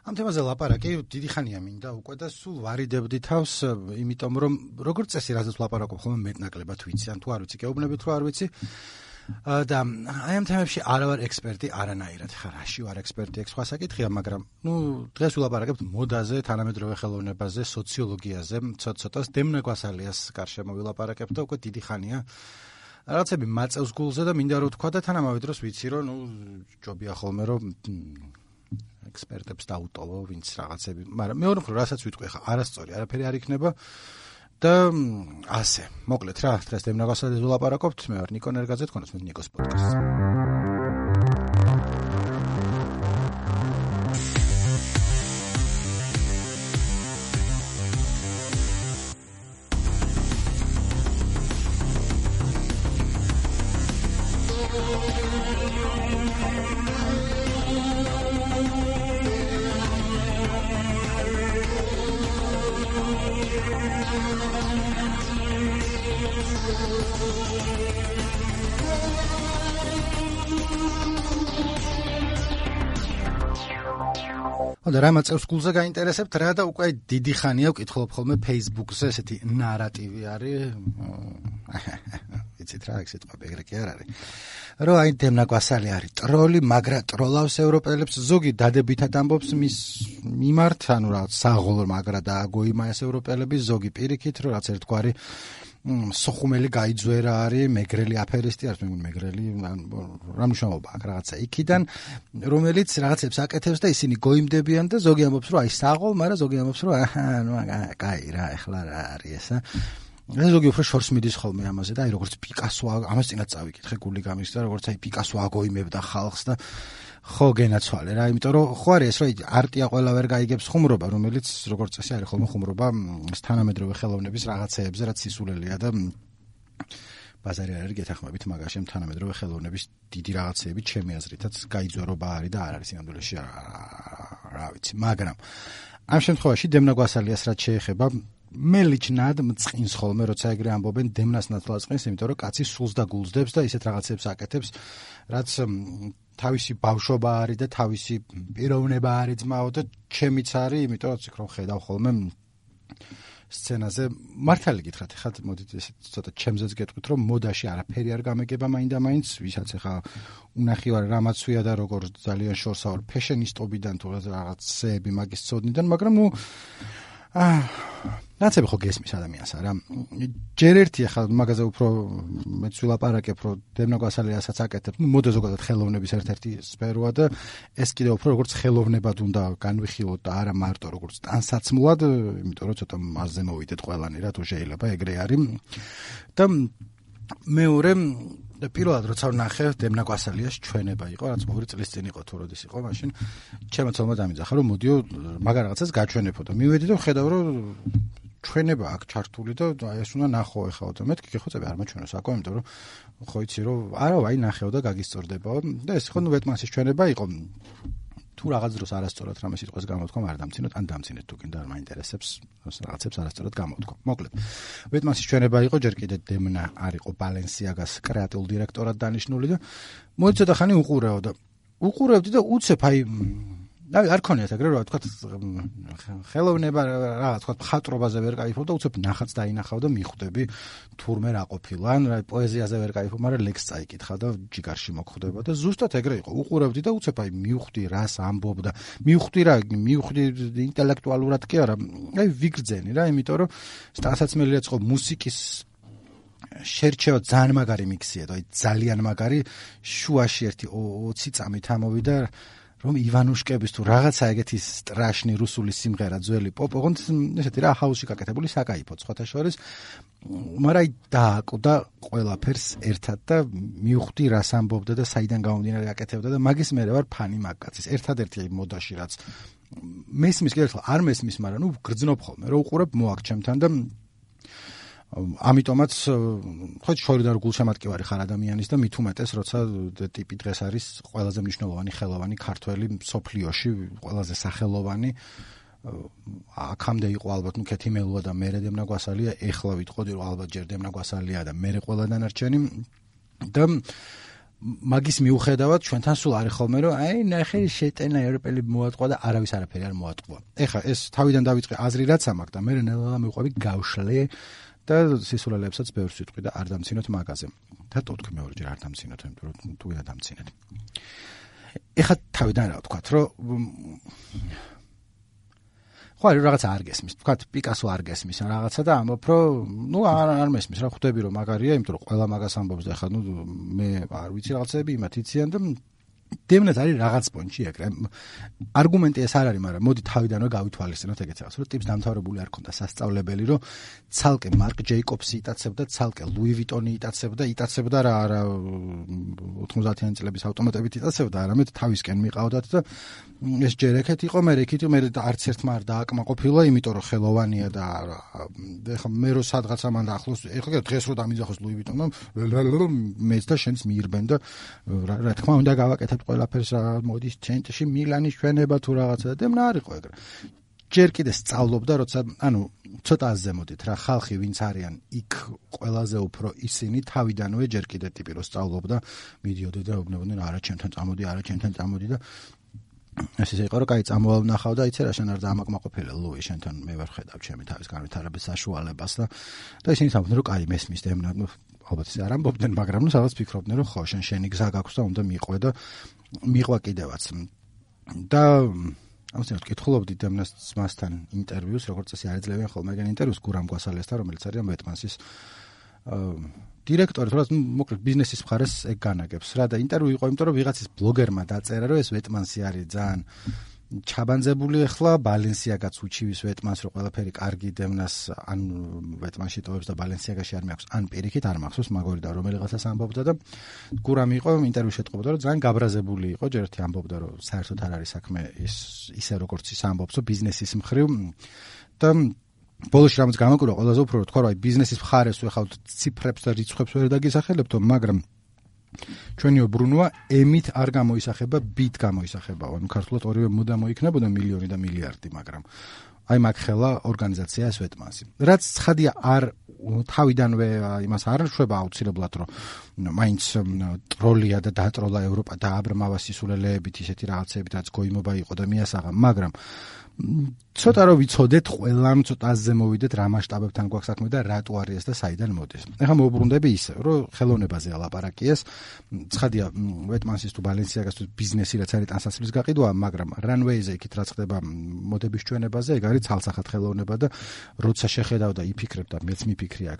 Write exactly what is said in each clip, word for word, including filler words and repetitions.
ამ თემაზე ლაპარაკი დიდი ხანია მინდა უკვე და სულ ვარიდებდი თავს, იმიტომ რომ როგორც წესი რაზეც ლაპარაკობ ხოლმე მეტნაკლებად ვიცი, ან თუ არ ვიცი, გეუბნებით რომ არ ვიცი. და აი ამ თემებში არ ვარ ექსპერტი არანაირად, ხა რაში ვარ ექსპერტი, ეგ სხვა საკითხია, მაგრამ ნუ დღეს ვილაპარაკებთ მოდაზე, თანამედროვე ხელოვნებაზე, სოციოლოგიაზე, ცოტ-ცოტას დემნა გვასალიას გარშემო ვილაპარაკებთ და უკვე დიდი ხანია. რაღაცები მაწევს გულზე და მინდა რომ თქვა და თან ამავე დროს ვიცი რომ ნუ ჯობია ხოლმე რომ ექსპერტებს დაუტოვო ვინც რაღაცები, მაგრამ მეორე მხრივ რასაც ვიტყვი ხა არასწორი არაფერი არ იქნება და ასე. მოკლედ რა, დღეს დემნა გვასალიას ვილაპარაკობთ, მე ვარ ნიკო ნერგაძე, თქვენს მე ნიკოს პოდკასტი. და რა მაწევს გულზე გაინტერესებთ რა და უკვე დიდი ხანია ვკითხულობ ხოლმე Facebook-ზე ესეთი ნარატივი არის. იცით რა, ეგ სიტყვები ეგრე კი არ არის. რომ აი დემნა გვასალი არის ტროლი, მაგრა ტროლავს ევროპელებს, ზოგი დადებითად ამბობს მის მიმართ, ანუ რა საღოლ მაგრა და აგოიმაეს ევროპელები, ზოგი პირიქით, რომ რაც ერთგვარი სოხუმელი გაიძვერა არის, მეგრელი აფერისტი არის, მეგრელი რა მნიშვნელობა აქვს რაღაცა იქიდან, რომელიც რაღაცებს აკეთებს და ისინი გოიმდებიან და ზოგი ამბობს, რომ აი საღოლ, მაგრამ ზოგი ამბობს, რომ აჰა, ნუ კაი რა, ეხლა რა არის ესა. ეს ზოგი უფრო შორს მიდის ხოლმე ამაზე და აი როგორც პიკასო ამას წინათ წავიკითხე გული გამის და როგორც აი პიკასო აგოიმებდა ხალხს და ხო გენაცვალე რა, იმიტომ რომ ხო არის ეს რომ არტია ყველა ვერ გაიგებს ხუმრობა, რომელიც როგორც წესი არის ხოლმე ხუმრობა თანამედროვე ხელოვნების რაღაცეებზე, რაც სისულელია და ბაზარი არ არის გეთახმებით მაგაში თანამედროვე ხელოვნების დიდი რაღაცეები ჩემი აზრითაც გაიძვერობა არის და არ არის სინამდვილეში რა ვიცი, მაგრამ ამ შემთხვევაში დემნა გვასალიას რაც შეეხება მე ლიჩნად მწყინს ხოლმე, როცა ეგრე ამბობენ დემნას ნაცვლად წყინს, იმიტომ რომ კაცი სულს და გულსდებს და ისეთ რაღაცებს აკეთებს, რაც თავისი ბავშვობა არის და თავისი პიროვნება არის ძმაო და ჩემიც არის, იმიტომ რომ ციქ რომ ხედავ ხოლმე სცენაზე მართალი გითხრათ, ხა მოდით ესე ცოტა ჩემზეც გეტყვით, რომ მოდაში არაფერი არ გამეგება მაინდა-მაინც, ვისაც ახლა უნახი ვარ რამაც ვია და როგორ ძალიან შორსა ვარ ფეშენისტობიდან თუ რაღაცეები მაგის წოდნიდან, მაგრამ ნუ აა ნაცები ხო გესმის ადამიანს არა. ჯერ ერთი ახლა მაგაზე უფრო მეც ვილაპარაკებ, რომ დემნა გვასალიასაც აკეთებ, ნუ მოდე ზოგადად ხელოვნების ერთ-ერთი სფეროა და ეს კიდევ უფრო როგორც ხელოვნებად უნდა განვიხილოთ და არა მარტო როგორც ტანსაცმლად, იმიტომ რომ ცოტა მასზე მოვიდეთ ყველანი რა, თუ შეიძლება ეგრე არის. და მეორე და პირველად როცა ვნახე დემნა გვასალიას ჩვენება იყო, რაც ორი წლის წინ იყო თუ როდის იყო, მაშინ ჩემო ცოლმა დამიძახა, რომ მოდიო მაგარ რაღაცას გაჩვენებო და მივედი და ხედავ, რომ ჩვენება აქ ჩართული და ეს უნდა ნახო ეხლა და მეთქი ხო წები არ მაჩვენო საკო, იმიტომ რომ ხო იცი რომ არა ვაი ნახეო და გაგისწორდებაო და ეს ხო ნუ ვეტმანსის ჩვენება იყო. თუ რაღაც დროს არასწორად რამე სიტყვას გამოვთქვა, არ დამცინოთ, ან დამცინეთ თუ კიდე არ მაინტერესებს, რაღაცებს არასწორად გამოვთქვა. მოკლედ, ვეტმანსის ჩვენება იყო, ჯერ კიდე დემნა არისო ბალენსიაგას კრეატიულ დირექტორად დანიშნული და მოიცოდა ცოტა ხანი უყურეო და უყურებდი და უცებ აი აი არ ქონიათ ეგრე რა ვთქვათ ხელოვნება რა ვთქვათ მხატვრობაზე ვერ кайფობ და უცებ ნახაც დაინახავ და მიხვდები თურმე რა ყოფილა ან რა პოეზიაზე ვერ кайფობ, მაგრამ ლექსს წაიკითხა და ჯიგარში მოგხვდება და ზუსტად ეგრე იყო. უყურებდი და უცებ აი მივხვდი რას ამბობდა, მივხვდი რა, მივხვდი ინტელექტუალურად კი არა, აი ვიგრძენი რა, იმიტომ რომ სტასაცმელია წყო მუსიკის შერჩევა ძალიან მაგარი მიქსია და აი ძალიან მაგარი შუაში ერთი ოცი წამით ამოვიდა რომ ივანუშკების თუ რაღაცა ეგეთი სტრაშნი რუსული სიმღერა ძველი პოპ, ოღონდ ესეთი რა ჰაუსში გაკეთებული საკაიფო სხვათა შორის, მაგრამ აი დააკვდა ყველაფერს ერთად და მივხვდი რას ამბობდა და საიდან გამომდინარე აკეთებდა და მაგის მერე ვარ ფანი მაგკაცის. ერთადერთი აი მოდაში რაც მესმის კიდევ არ მესმის, მაგრამ ნუ გრძნობ ხოლმე რომ უყურებ მოაქ ჩემთან და ამიტომაც ხო შორიდან გულშემატკივარი ხარ ადამიანის და მით უმეტეს როცა ტიპი დღეს არის ყველაზე მნიშვნელოვანი ხელოვანი ქართველი მსოფლიოში, ყველაზე სახელოვანი აქამდე იყო ალბათ ნუ ქეთიმელუა და მერე დემნა გვასალია, ეხლა ვიტყოდი რომ ალბათ ჯერ დემნა გვასალია და მერე ყველა დანარჩენი და მაგის მიუხედავად ჩვენთან სულ არის ხოლმე რომ აი ნახე შეტენა ევროპელი მოატყვა და არავის არაფერი არ მოატყვა. ეხლა ეს თავიდან დავიწყე აზრი რაც ამაქვს და მე ნელა მივყვები გავშლე და სისულელებსაც ბევრს ვიტყვი და არ დამცინოთ მაგაზე. და თვითონ მეორეჯერ არ დამცინოთ, იმიტომ რომ თუ ვიდა დამცინეთ. ეხლა თავიდან რა ვთქვათ, რომ ხო რაღაცა არ გესმის. ვთქვათ პიკასო არ გესმის რაღაცა და ამბობ რომ ნუ არ არ მესმის რა ხვდები რომ მაგარია, იმიტომ რომ ყველა მაგას ამბობს და ეხლა ნუ მე არ ვიცი რაღაცები იმათ იციან და დემნაც არის რაღაც პონჩი ეგრე. არგუმენტი ეს არ არის, მაგრამ მოდი თავიდანვე გავითვალისწინოთ ეგეც რაღაც, რომ ტიპს დამთავრებული არ ქონდა სასწავლებელი, რომ ცალკე მარკ ჯეიკობსი იტაცებდა, ცალკე ლუი ვიტონი იტაცებდა, იტაცებდა რა არა ოთხმოცდაათიანი წლების ავტომატებით იტაცებდა, არამედ თავისკენ მიყავდათ და ეს ჯერ ეკეთ იყო, მე ეკეთ იყო, მე არც ერთმა არ დააკმაყოფილა, იმიტომ რომ ხელოვანია და ეხლა მე რო სადღაცა მან ახლოს, ეხლა დღეს რო დამიძახოს ლუი ვიტონმა, მეც და შენც მიირბენ და რა თქმა უნდა გავაკეთებ ყველაფერს რა მოდის ცენტრში მილანის ჩვენება თუ რაღაცა და მნა არისო ეგრე. ჯერ კიდე სწავლობდა, როცა ანუ ცოტა ზემოდით რა ხალხი ვინც არიან იქ ყველაზე უფრო ისინი თავიდანვე ჯერ კიდე ტიპი რო სწავლობდა, მიდიოდნენ და უბნებოდნენ არა ჩემთან წამოდი, არა ჩემთან წამოდი და ეს ისე იყო რომ კაი წამოვალ ნახავ და იცი რა შენ არ დამაკმაყოფილე ლუი შენთან მე ვერ ხედავ ჩემი თავის განვითარების საშუალებას და და ისინი თამბობდნენ რომ კაი მესმის და ემნა ალბათ ისე არ ამბობდნენ, მაგრამ ნუ სადაც ფიქრობდნენ რომ ხო შენ შენი გზა გაქვს და უნდა მიყვე და მიყვა კიდევაც. და ამასთან კითხულობდი დემნას მასთან ინტერვიუს, როგორც წესი არ ეძლებიან ხოლმე ეგენ ინტერვიუს გურამ გვასალესთან, რომელიც არის ვეტმანსის დირექტორი, თორემ მოკლედ ბიზნესის მხარეს ეგ განაგებს რა და ინტერვიუ იყო, იმიტომ რომ ვიღაცის ბლოგერმა დაწერა, რომ ეს ვეტმანსი არის ძალიან ჩაბანძებული ახლა ბალენსიაგაც უჩივის ვეტმანს რომ ყველაფერი კარგი დემნას ან ვეტმანში ტოვებს და ბალენსიაგაში არ მეაქვს ან პირიქით არ მახსოვს მაგორი და რომელიღაცას ამბობდა და გურამი იყო ინტერვიუში ეტყობოდა რომ ძალიან გაბრაზებული იყო ჯერ ერთი ამბობდა რომ საერთოდ არ არის საქმე ის ისე როგორც ის ამბობს რომ ბიზნესის მხრივ და ბოლოში რამაც გამაკვირვა ყველაზე უფრო თქვა რომ აი ბიზნესის მხარეს ვეხავთ ციფრებს და რიცხვებს ვერ დაგისახელებთო მაგრამ ჩვენი უბრუნვა ემით არ გამოისახება, ბით გამოისახება. ანუ ქართულად ორივე მოდა მოიქნებოდა მილიონი და მილიარდი, მაგრამ აი მაგ ხელა ორგანიზაცია ეს ვეტმანსი. რაც ცხადია არ თავიდანვე იმას არ შვება აუცილებლად რომ მაინც ტროლია და დატროლა ევროპა და აბრმავა სისულელეებით ისეთი რაღაცებით რაც გოიმობა იყო და მიასაღა, მაგრამ ცოტა რომ ვიცოდეთ ყველამ ცოტა აზზე მოვიდეთ რა მასშტაბებთან გვაქვს საქმე და რატო არის ეს და საიდან მოდის. ეხლა მოვუბრუნდები ისე რომ ხელოვნებაზე ალაპარაკიეს. ცხადია ვეტმანსის თუ ბალენსიაგას თუ ბიზნესი რაც არის ტანსაცმლის გაყიდვა, მაგრამ რანვეიზე იქით რაც ხდება მოდების ჩვენებაზე, ეგ არის ცალსახად ხელოვნება და როცა შეხედავ და იფიქრებ და მეც მიფიქრია,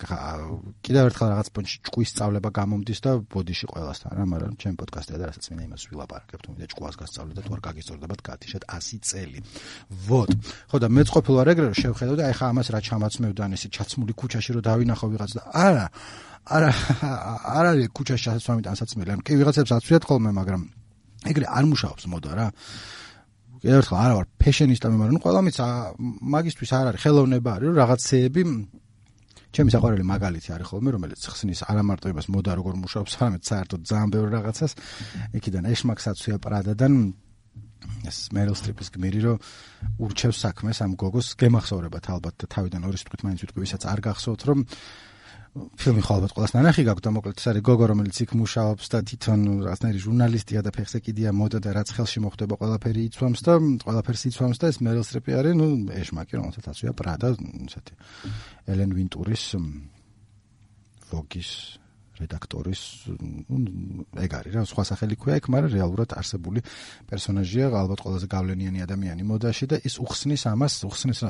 კიდევ ერთხელ რაღაც პონჩი ჭკუის სწავლება გამომდის და ბოდიში ყველასთან რა, მაგრამ ჩემ პოდკასტზე და რასაც მინდა იმას ვილაპარაკებ, თუ მინდა ჭკუას გასწავლე და თუ არ გაგისწორდებათ გათიშეთ ასი წელი. ვოთ. ხო და მეც ყოფილი ვარ ეგრე რომ შევხედავ და ეხა ამას რა ჩამაცმევდან ესე ჩაცმული ქუჩაში რომ დავინახო ვიღაც და არა არა არ არის ქუჩაში ასასვამი ტანსაცმელი ან კი ვიღაცებს აცვიათ ხოლმე მაგრამ ეგრე არ მუშაობს მოდა რა კიდევ ერთხელ არა ვარ ფეშენისტა მე მაგრამ ყველა მის მაგისტვის არ არის ხელოვნება არის რომ რაღაცეები ჩემი საყვარელი მაგალითი არის ხოლმე რომელიც ხსნის არა მარტო იმას მოდა როგორ მუშაობს არამედ საერთოდ ძალიან ბევრ რაღაცას იქიდან ეშმაკს აცვია პრადადან ეს მერილ სტრიპის გმირი რომ ურჩევს საქმეს ამ გოგოს გემახსოვრებათ ალბათ და თავიდან ორი სიტყვით მაინც ვიტყვი ვისაც არ გახსოვთ რომ ფილმი ხო ალბათ ყველას ნანახი გაქვთ და მოკლედ ეს არის გოგო რომელიც იქ მუშაობს და თვითონ რაღაცნაირი ჟურნალისტია და ფეხსეკიდია მოდა და რაც ხელში მოხდება ყველაფერი იცვამს და ყველაფერს იცვამს და ეს მერილ სტრიპი არის ნუ ეშმაკი რომელსაც აცვია პრადა ესეთი ელენ ვინტურის ვოგის რედაქტორის ეგ არის რა სხვა სახელი ქვია იქ მაგრამ რეალურად არსებული პერსონაჟია ალბათ ყველაზე გავლენიანი ადამიანი მოდაში და ის უხსნის ამას უხსნის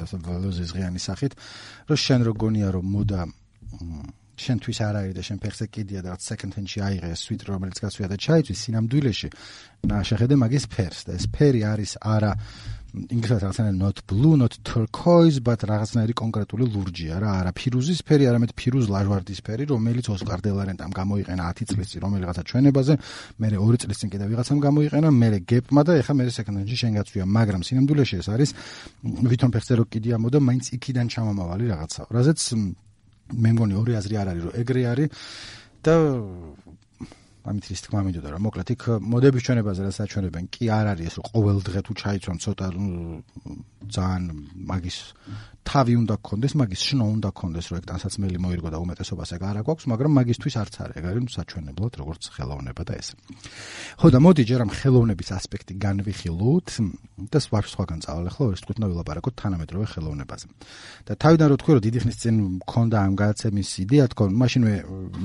ზღიანი სახით რომ შენ რო გონია რომ მოდა შენთვის არ არის და შენ ფეხზე კიდია და second hand-ში აიღე სვიტ რომელიც გასვია და ჩაიწვის სინამდვილეში შეხედე მაგის ფერს და ეს ფერი არის არა ინგლისურად რაღაცნაირი not blue not turquoise but რაღაცნაირი კონკრეტული ლურჯია რა არა ფირუზის ფერი არამედ ფირუზ ლაჟვარდის ფერი რომელიც ოსკარ დე ლა რენტამ გამოიყენა ათი წლის წინ რომელიღაცა ჩვენებაზე მე ორი წლის წინ კიდე ვიღაცამ გამოიყენა მე გეპმა და ეხა მე second hand-ში შენ გაწვია მაგრამ სინამდვილეში ეს არის ვითომ ფეხზე რო კიდია მოდა მაინც იქიდან ჩამომავალი რაღაცა რაზეც მე მგონი ორი აზრი არ არის რომ ეგრე არის და ამით ის თქმა მინდოდა რომ მოკლედ იქ მოდების ჩვენებაზე რა საჩვენებენ კი არ არის ეს რომ ყოველ დღე თუ ჩაიცვან ცოტა ძალიან მაგის თავი უნდა გქონდეს, მაგის შნო უნდა გქონდეს, რომ ეგ ტანსაცმელი მოირგო და უმეტესობას ეგ არა გვაქვს, მაგრამ მაგისთვის არც არის, ეგ არის საჩვენებლად, როგორც ხელოვნება და ეს. ხო და მოდი ჯერ ამ ხელოვნების ასპექტი განვიხილოთ და სხვა სხვაგან წავალ ახლა ორი თქუთ ვილაპარაკოთ თანამედროვე ხელოვნებაზე. და თავიდან რო თქვი რომ დიდი ხნის წინ მქონდა ამ გადაცემის იდეა თქო, მაშინვე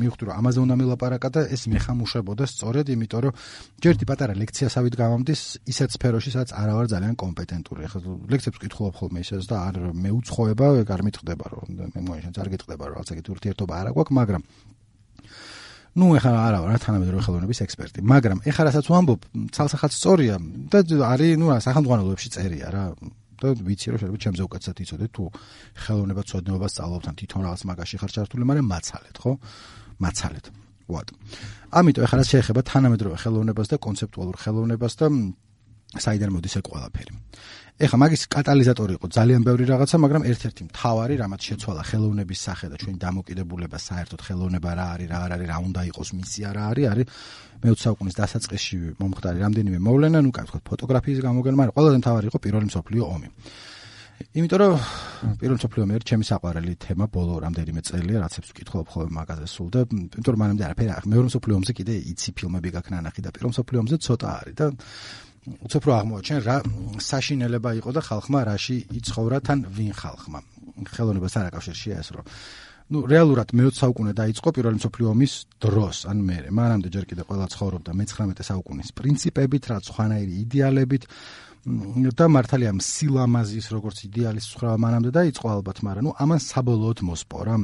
მივხვდი რომ ამაზე უნდა მილაპარაკა და ეს მეხამუშებოდა სწორედ იმიტომ რომ ჯერ ერთი პატარა ლექციასავით გამომდის ისეთ სფეროში, სადაც არა ვარ ძალიან კომპეტენტური. ახლა ლექციებს ვკითხულობ ხოლმე ისედაც და არ მეუცხოვება, ეგ არ მითხდება რომ მე მოიშენს არ გითხდება რომ რაღაცა ეგეთი ურთიერთობა არა გვაქვს, მაგრამ ნუ ეხლა არა ვარ თანამედროვე ხელოვნების ექსპერტი, მაგრამ ეხლა რასაც ვამბობ, ცალსახად სწორია და არის ნუ სახელმძღვანელოებში წერია რა. და ვიცი რომ შეიძლება ჩემზე უკეთესად იცოდე თუ ხელოვნება ცოდნეობა სწავლობთან თვითონ რაღაც მაგაში ხარ ჩართული, მაგრამ მაცალეთ, ხო? მაცალეთ. ვატ. ამიტომ ეხლა რაც შეეხება თანამედროვე ხელოვნებას და კონცეპტუალურ ხელოვნებას და საიდან მოდის ეგ ყველაფერი. ეხლა მაგის კატალიზატორი იყო ძალიან ბევრი რაღაცა, მაგრამ ერთ-ერთი მთავარი, რამაც შეცვალა ხელოვნების სახე და ჩვენი დამოკიდებულება საერთოდ ხელოვნება რა არის, რა არ არის, რა უნდა იყოს მისია რა არის, არის მეოცე საუკუნის დასაწყისში მომხდარი რამდენიმე მოვლენა, ნუ კაც ვთქვათ, ფოტოგრაფიის გამოგონება, მაგრამ ყველაზე მთავარი იყო პირველი მსოფლიო ომი. იმიტომ რომ პირველი მსოფლიო ომი არის ჩემი საყვარელი თემა ბოლო რამდენიმე წელია, რაცებს ვკითხულობ ხოლმე მაგაზე სულ და იმიტომ რომ მანამდე არაფერი არ მეორე მსოფლიო ომზე კიდე იცი ფილმები გაქვს ნანახი და პირველ მსოფლიო ომზე ცოტა არის და უცებ რო აღმოაჩენ რა საშინელება იყო და ხალხმა რაში იცხოვრა თან ვინ ხალხმა. ხელოვნებას არ აკავშირშია ეს რომ ნუ რეალურად მეოცე საუკუნე დაიწყო პირველი მსოფლიო ომის დროს, ან მერე. მანამდე ჯერ კიდე ყველა ცხოვრობდა მეცხრამეტე საუკუნის პრინციპებით, რაც ხვანაირი იდეალებით და მართალია სილამაზის როგორც იდეალის ცხრა მანამდე დაიწყო ალბათ, მაგრამ ნუ ამან საბოლოოდ მოსპორა,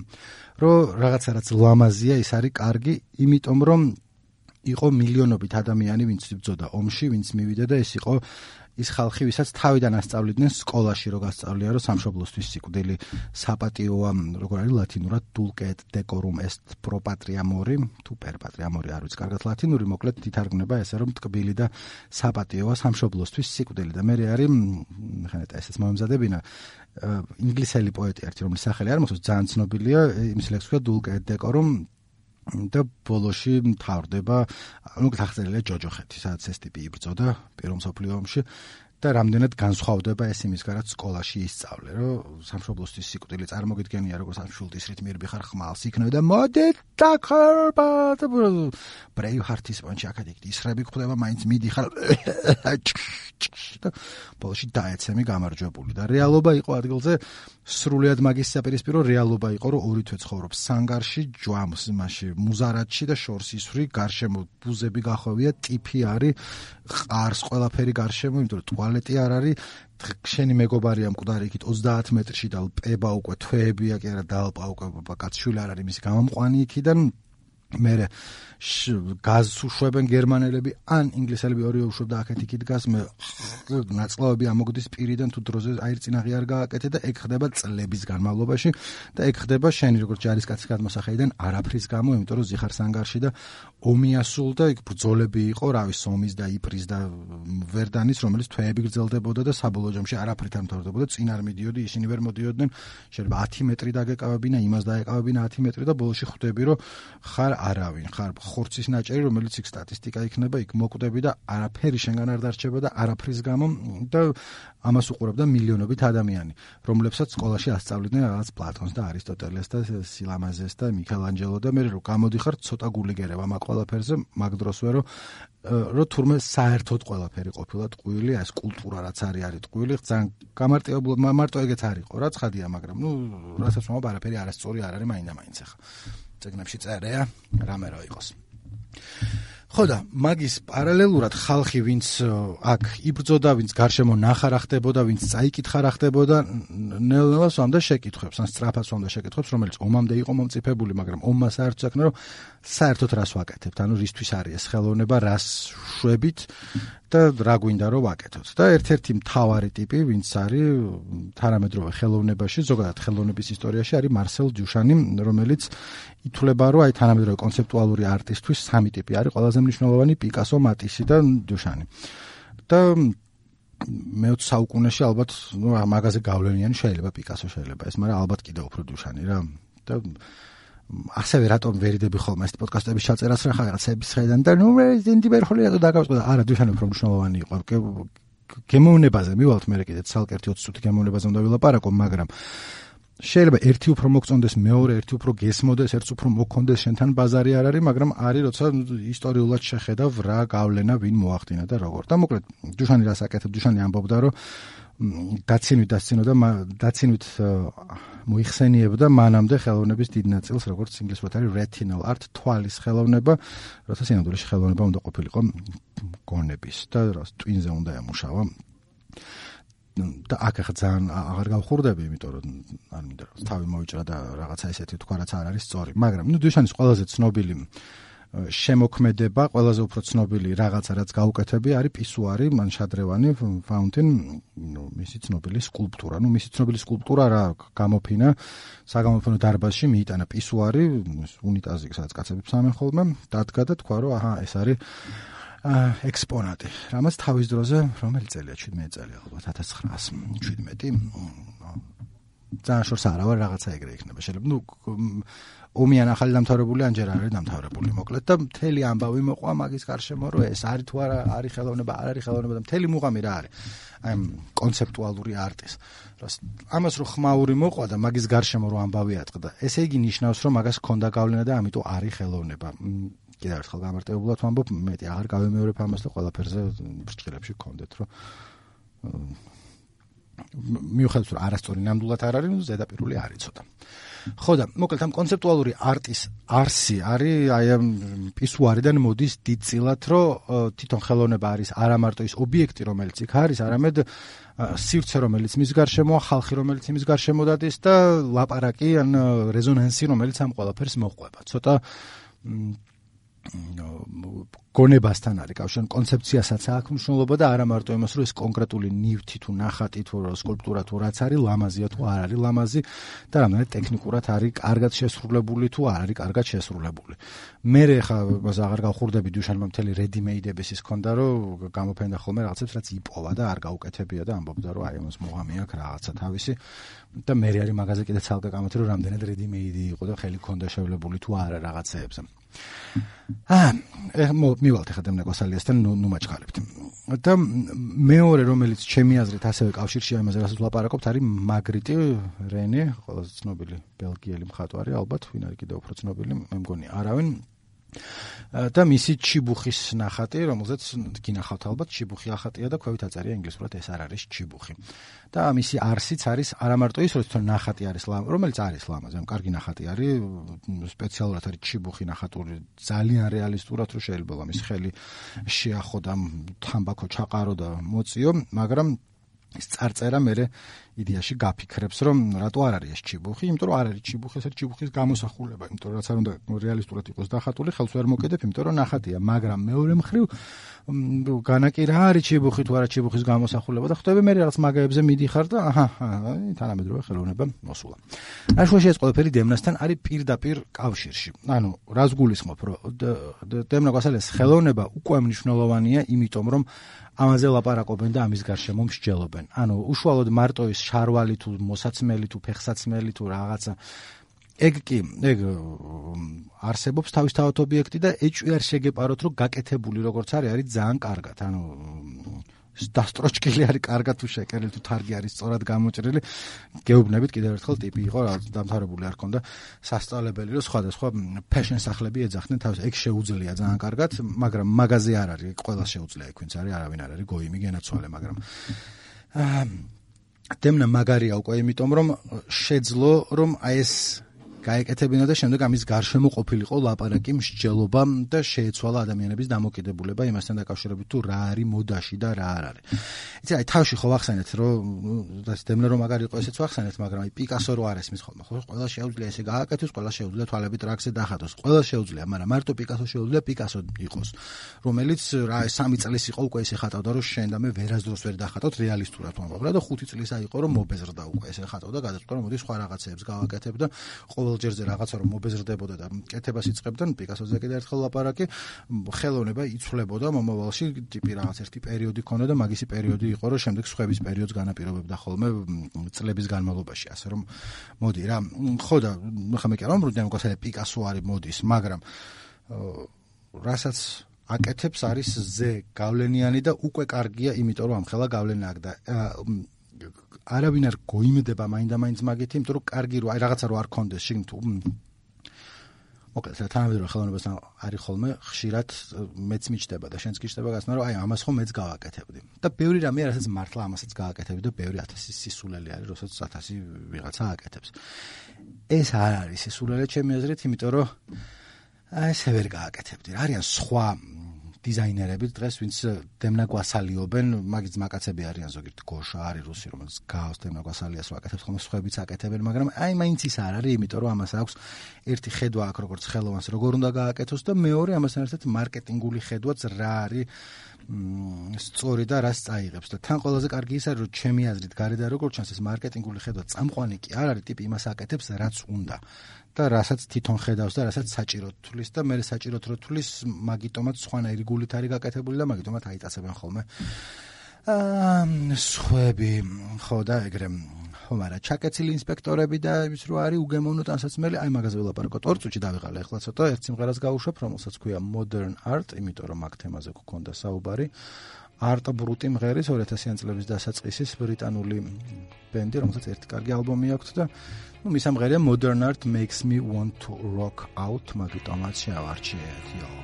რომ რაღაცა რაც ლამაზია, ის არის კარგი, იმიტომ რომ იყო მილიონობით ადამიანი, ვინც იბრძოდა ომში, ვინც მივიდა და ეს იყო ის ხალხი, ვისაც თავიდან ასწავლიდნენ სკოლაში, რო გასწავლია, რომ სამშობლოსთვის სიკვდილი საპატიოა, როგორ არის ლათინურად dulcet decorum est pro patria mori, თუ per patria mori არ ვიცი კარგად ლათინური, მოკლედ თითარგმნება ესე, რომ ტკბილი და საპატიოა სამშობლოსთვის სიკვდილი და მე არის, ხანეტა ესეც მომემზადებინა, ინგლისელი პოეტი ერთი, რომლის სახელი არ მახსოვს, ძალიან ცნობილია, იმის ლექსია dulcet decorum და ბოლოში მთავრდება, ну, გახსენილია ჯოჯოხეთი, სადაც ეს ტიპი იბრძოდა პირველ მსოფლიო ომში და რამდენად განსხვავდება ეს იმისგან, რაც სკოლაში ისწავლე, რომ სამშობლოსთვის სიკვდილი წარმოგიდგენია, როგორც ამ შულტის რით მირბიხარ ხმალს იქნება და მოდით დაქარბა და ბრეივჰარტის პონჩი აქეთ ისრები გვხვდება, მაინც მიდიხარ და ბოლოში დაეცემი გამარჯვებული და რეალობა იყო ადგილზე სრულიად მაგის საპირისპირო რეალობა იყო, რომ ორი თვე ცხოვრობს სანგარში, ჯვამს იმაში, მუზარადში და შორს ისვრი, გარშემო ბუზები გახვევია, ტიფი არის, ყარს ყველაფერი გარშემო, იმიტომ რომ ტუალეტი არ არის, შენი მეგობარია მკვდარი იქით ოცდაათ მეტრში და პება უკვე თვეებია კი არა დალპა უკვე კაცშვილი არ არის მისი გამომყვანი იქიდან მერე გაზს უშვებენ გერმანელები ან ინგლისელები ორივე უშვებდა აქეთ იქით გაზს მე ნაწლავები ამოგდის პირიდან თუ დროზე აირწინაღი არ გააკეთე და ეგ ხდება წლების განმავლობაში და ეგ ხდება შენი როგორც ჯარისკაცის გადმოსახედიდან არაფრის გამო იმიტომ რომ ზიხარ სანგარში და ომი ასულდა იქ ბრძოლები იყო რავი სომის და იპრის და ვერდანის რომელიც თვეები გრძელდებოდა და საბოლოო ჯამში არაფრით არ მთავრდებოდა წინ არ მიდიოდი ისინი ვერ მოდიოდნენ შეიძლება ათი მეტრი დაგეკავებინა იმას დაეკავებინა ათი მეტრი და ბოლოში ხვდები რომ ხარ არავინ ხარ ხორცის ნაჭერი რომელიც იქ სტატისტიკა იქნება იქ მოკვდები და არაფერი შენგან არ დარჩება და არაფრის გამო და ამას უყურებდა მილიონობით ადამიანი რომლებსაც სკოლაში ასწავლიდნენ რაღაც პლატონს და არისტოტელეს და სილამაზეს და მიქელანჯელო და მე რომ გამოდიხარ ცოტა გულიგერება მაგ ყველაფერზე მაგ დროსვე რომ რომ თურმე საერთოდ ყველაფერი ყოფილა ტყუილი ეს კულტურა რაც არის არის ტყუილი ძალიან გამარტივებული მარტო ეგეც არისო რა ცხადია მაგრამ ნუ რასაც ვამბობ არაფერი არასწორი არ არის მაინდა-მაინც ახლა წეგნებში წერია რამე რო იყოს ხო და მაგის პარალელურად ხალხი ვინც აქ იბრძოდა ვინც გარშემო ნახარა ხდებოდა ვინც წაიკითხარა ხდებოდა ნელ-ნელა სვამდა შეკითხვებს ან სწრაფად სვამდა შეკითხვებს რომელიც ომამდე იყო მომწიფებული მაგრამ ომმა საერთოდ საქმე რომ საერთოდ რას ვაკეთებთ ანუ რისთვის არის ეს ხელოვნება რას შვებით და რა გვინდა რომ ვაკეთოთ და ერთ-ერთი მთავარი ტიპი ვინც არის თანამედროვე ხელოვნებაში ზოგადად ხელოვნების ისტორიაში არის მარსელ დიუშანი რომელიც ითვლება რომ აი თანამედროვე კონცეპტუალური არტისტვის სამი ტიპი არის ყველაზე მნიშვნელოვანი პიკასო მატისი და დიუშანი და მეოცე საუკუნეში ალბათ ნუ მაგაზე გავლენიანი შეიძლება პიკასო შეიძლება ეს მაგრამ ალბათ კიდევ უფრო დიუშანი რა და ასევე რატომ ვერიდები ხოლმე ეს პოდკასტების ჩაწერას რა რაღაცების ხედან და ნუ ინდი ვერხოლი რატო დაგავწყდა არა დუშან უფრო მნიშვნელოვანი იყო გემოვნებაზე მივალთ მე კიდე ცალკე ოცი წუთი გემოვნებაზე უნდა ვილაპარაკო მაგრამ შეიძლება ერთი უფრო მოგწონდეს მეორე ერთი უფრო გესმოდეს ერთს უფრო მოქონდეს შენთან ბაზარი არ არის მაგრამ არის როცა ისტორიულად შეხედავ რა გავლენა ვინ მოახდინა და როგორ და მოკლედ დუშანი რას აკეთებ დუშანი ამბობდა რომ დაცინვით დასცინოდა დაცინვით მოიხსენიებდა მანამდე ხელოვნების დიდ ნაწილს როგორც ინგლისურად არის retinal art თვალის ხელოვნება როცა სინამდვილეში ხელოვნება უნდა ყოფილიყო გონების და რას ტვინზე უნდა ემუშავა და აქ ახლა ძალიან აღარ გავხურდები იმიტომ რომ არ მინდა რომ თავი მოვიჭრა და რაღაცა ესეთი თქვა რაც არ არის სწორი მაგრამ ნუ დუშანის ყველაზე ცნობილი შემოქმედება ყველაზე უფრო ცნობილი რაღაცა რაც გაუკეთებია არის პისუარი მან შადრევანი fountain ნუ მისი ცნობილი სკულპტურა ნუ მისი ცნობილი სკულპტურა რა გამოფინა საგამოფენო დარბაზში მიიტანა პისუარი უნიტაზი სადაც კაცები ფსამენ ხოლმე დადგა და თქვა რომ აჰა ეს არის ექსპონატი რამაც თავის დროზე რომელი წელია შვიდმეტი წელი ალბათ ათას ცხრაასი შვიდმეტი ძალიან შორს არა ვარ რაღაცა ეგრე იქნება შეიძლება ნუ ომიან ახალი დამთავრებული ან ჯერ არ არის დამთავრებული მოკლედ და მთელი ამბავი მოყვა მაგის გარშემო რომ ეს არის თუ არა არის ხელოვნება არ არის ხელოვნება და მთელი მუღამი რა არის აი კონცეპტუალური არტის ამას რო ხმაური მოყვა და მაგის გარშემო რო ამბავი ატყდა ესე იგი ნიშნავს რომ მაგას ჰქონდა გავლენა და ამიტომ არის ხელოვნება კიდევ ერთხელ გამარტივებულად ვამბობ მეტი აღარ გავემეორებ ამას და ყველაფერზე ბრჭყილებში გქონდეთ რომ მიუხედავად რომ არასწორი ნამდვილად არ არის ზედაპირული არის ცოტა ხო და მოკლედ ამ კონცეპტუალური არტის არსი არის აი ამ პისუარიდან მოდის დიდწილად რომ თვითონ ხელოვნება არის არა მარტო ის ობიექტი რომელიც იქ არის არამედ სივრცე რომელიც მის გარშემოა ხალხი რომელიც იმის გარშემო დადის და ლაპარაკი ან რეზონანსი რომელიც ამ ყველაფერს მოყვება ცოტა გონებასთან არის კავშირი კონცეფციასაც აქვს მნიშვნელობა და არა მარტო იმას რომ ეს კონკრეტული ნივთი თუ ნახატი თუ სკულპტურა თუ რაც არის ლამაზია თუ არ არის ლამაზი და რამდენად ტექნიკურად არის კარგად შესრულებული თუ არ არის კარგად შესრულებული მე ხა მას აღარ გავხურდები დუშანმა მთელი ready-made-ების ის ქონდა რომ გამოფენდა ხოლმე რაღაცებს რაც იპოვა და არ გაუკეთებია და ამბობდა რომ აი ამას მოღამი აქვს რაღაცა თავისი და მე არის მაგაზე კიდე ცალკე გამოცე რომ რამდენად ready-made იყო და ხელი ქონდა შევლებული თუ არა რაღაცეებზე აა მივალთ ახლა დემნაკოსალიასთან ნუ ნუ მაჩხალებთ და მეორე რომელიც ჩემი აზრით ასევე კავშირშია იმაზე რასაც ვლაპარაკობთ არის მაგრიტი რენე ყველაზე ცნობილი ბელგიელი მხატვარი ალბათ ვინ არის კიდევ უფრო ცნობილი მე მგონი არავინ და მისი ჩიბუხის ნახატი რომელზეც გინახავთ ალბათ ჩიბუხი ახატია და ქვევით აწერია ინგლისურად ეს არ არის ჩიბუხი და მისი არსიც არის არა მარტო ის რომ ნახატი არის რომელიც არის ლამაზი კარგი ნახატი არის სპეციალურად არის ჩიბუხი ნახატური ძალიან რეალისტურად რომ შეიძლება მის ხელი შეახო და თამბაქო ჩაყარო და მოწიო მაგრამ ის წარწერა მე იდეაში გაფიქრებს რომ რატო არ არის ეს ჩიბუხი იმიტომ რომ არ არის ჩიბუხი ეს არის ჩიბუხის გამოსახულება იმიტომ რომ რაც არ უნდა რეალისტურად იყოს დახატული ხელს ვერ მოკიდებ იმიტომ რომ ნახატია მაგრამ მეორე მხრივ განაკი რა არის ჩიბუხი თუ არა ჩიბუხის გამოსახულება და ხვდები მე რაღაც მაგაებზე მიდიხარ და აჰა თანამედროვე ხელოვნება მოსულა აშუაში ეს ყველაფერი დემნასთან არის პირდაპირ კავშირში ანუ რას გულისხმობ რომ დემნაკოსალიას ხელოვნება უკვე მნიშვნელოვანია იმიტომ რომ ამაზე ლაპარაკობენ და ამის გარშემო მსჯელობენ ანუ უშუალოდ მარტო ის შარვალი თუ მოსაცმელი თუ ფეხსაცმელი თუ რაღაცა ეგ კი ეგ არსებობს თავისთავად ობიექტი და ეჭვი არ შეგეპაროთ რომ გაკეთებული როგორც არის არის ძალიან კარგად ანუ დასტროჩკილი არის კარგად თუ შეკერილი თუ თარგი არის სწორად გამოჭრილი გეუბნებით კიდევ ერთხელ ტიპი იყო რა დამთავრებული არ ქონდა სასწავლებელი რომ სხვადასხვა ფეშენ სახლები ეძახდნენ თავს ეგ შეუძლია ძალიან კარგად მაგრამ მაგაზე არ არის ყველა შეუძლია იქ ვინც არის არავინ არ არის გოიმი გენაცვალე მაგრამ დემნა მაგარია უკვე იმიტომ რომ შეძლო რომ აი ეს გაეკეთებინა და შემდეგ ამის გარშემო ყოფილიყო ლაპარაკი მსჯელობა და შეეცვალა ადამიანების დამოკიდებულება იმასთან დაკავშირებით თუ რა არის მოდაში და რა არ არის. იცი აი თავში ხო ვახსენეთ რომ დემნა რომ მაგარი იყო ესეც ვახსენეთ მაგრამ აი პიკასო რო არ ესმის ხოლმე ხო ყველა შეუძლია ესე გააკეთოს ყველა შეუძლია თვალები ტრაქზე დახატოს ყველა შეუძლია მაგრამ მარტო პიკასო შეუძლია პიკასო იყოს რომელიც რა სამი წლის იყო უკვე ესე ხატავდა რომ შენ და მე ვერასდროს ვერ დახატოთ რეალისტურად ვამბობ რა და ხუთი წლისა იყო რომ მობეზრდა უკვე ესე ხატავდა გადაწყვეტა რომ მოდი სხვა რაღაცეებს გავაკეთებ და ყოველ ყველჯერზე რაღაცა რომ მობეზრდებოდა და კეთებას იწყებდა, პიკასოზე კიდე ერთხელ ლაპარაკი, ხელოვნება იცვლებოდა მომავალში, ტიპი რაღაც ერთი პერიოდი ქონდა და მაგისი პერიოდი იყო, რომ შემდეგ სხვების პერიოდს განაპირობებდა ხოლმე წლების განმავლობაში, ასე რომ მოდი რა, ხო და ხა მე კი არ ვამბობ, რომ გასადა პიკასო არის მოდის, მაგრამ რასაც აკეთებს არის ზე გავლენიანი და უკვე კარგია, იმიტომ რომ ამხელა გავლენა აქვს და არავინ არ გოიმდება მაინდა-მაინც მაგით, იმიტომ რომ კარგი რო აი რაღაცა რო არ კონდეს შიგნ თუ მოკლედ თანამედროვე ხელოვნებასთან არის ხოლმე ხშირად მეც მიჩდება და შენც კი ჩდება გასნა რომ აი ამას ხომ მეც გავაკეთებდი და ბევრი რამე რასაც მართლა ამასაც გავაკეთებდი და ბევრი ათასი სისულელი არის როსაც ათასი ვიღაცა აკეთებს ეს არ არის სისულელე ჩემი აზრით იმიტომ რომ აი ესე ვერ გააკეთებდი რა არიან სხვა დიზაინერები დღეს ვინც დემნა გვასალიობენ მაგის მაკაცები არიან ზოგიერთ გოშა არის რუსი რომელიც გავს დემნა გვასალიას რო აკეთებს ხოლმე სხვაებიც აკეთებენ მაგრამ აი მაინც ის არ არის იმიტომ რომ ამას აქვს ერთი ხედვა აქვს როგორც ხელოვანს როგორ უნდა გააკეთოს და მეორე ამასთან ერთად მარკეტინგული ხედვაც რა არის სწორი და რას წაიღებს და თან ყველაზე კარგი ის არის რომ ჩემი აზრით გარედან როგორ ჩანს ეს მარკეტინგული ხედვა წამყვანი კი არ არის ტიპი იმას აკეთებს რაც უნდა და რასაც თვითონ ხედავს და რასაც საჭიროდ თulis და მე საჭიროდ რო თulis მაგიტომაც სხვანაირი გულით არის გაკეთებული და მაგიტომაც აიწასებენ ხოლმე აა სხვები ხო და ეგრე ხო მაგრამ ჩაკეცილი ინსპექტორები და ის რო არის უგემოვნო ტანსაცმელი აი მაგაზე ველაპარაკოთ ორ წუთში დავიღალე ახლა ცოტა ერთ სიმღერას გავუშვებ რომელსაც ქვია Modern Art იმიტომ რომ მაგ თემაზე გქონდა საუბარი არტ ბრუტი მღერის ორი ათასიანი წლების დასაწყისის ბრიტანული ბენდი რომელსაც ერთი კარგი ალბომი აქვს და ну მის ამღერია Modern Art Makes Me Want to Rock Out მაგიტომაც შევარჩიეთ იო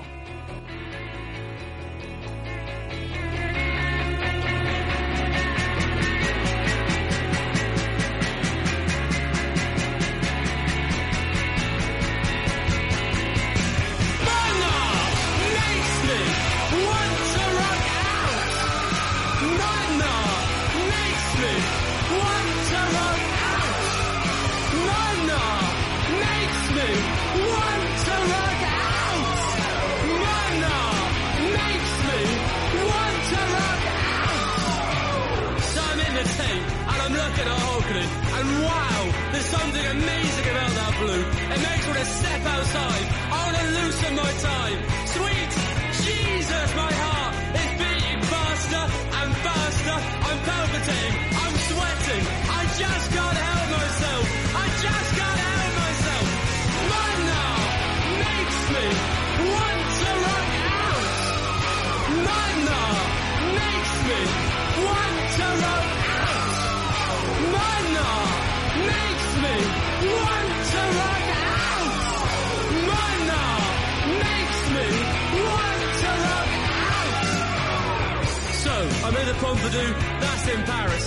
Pompidou, that's in Paris.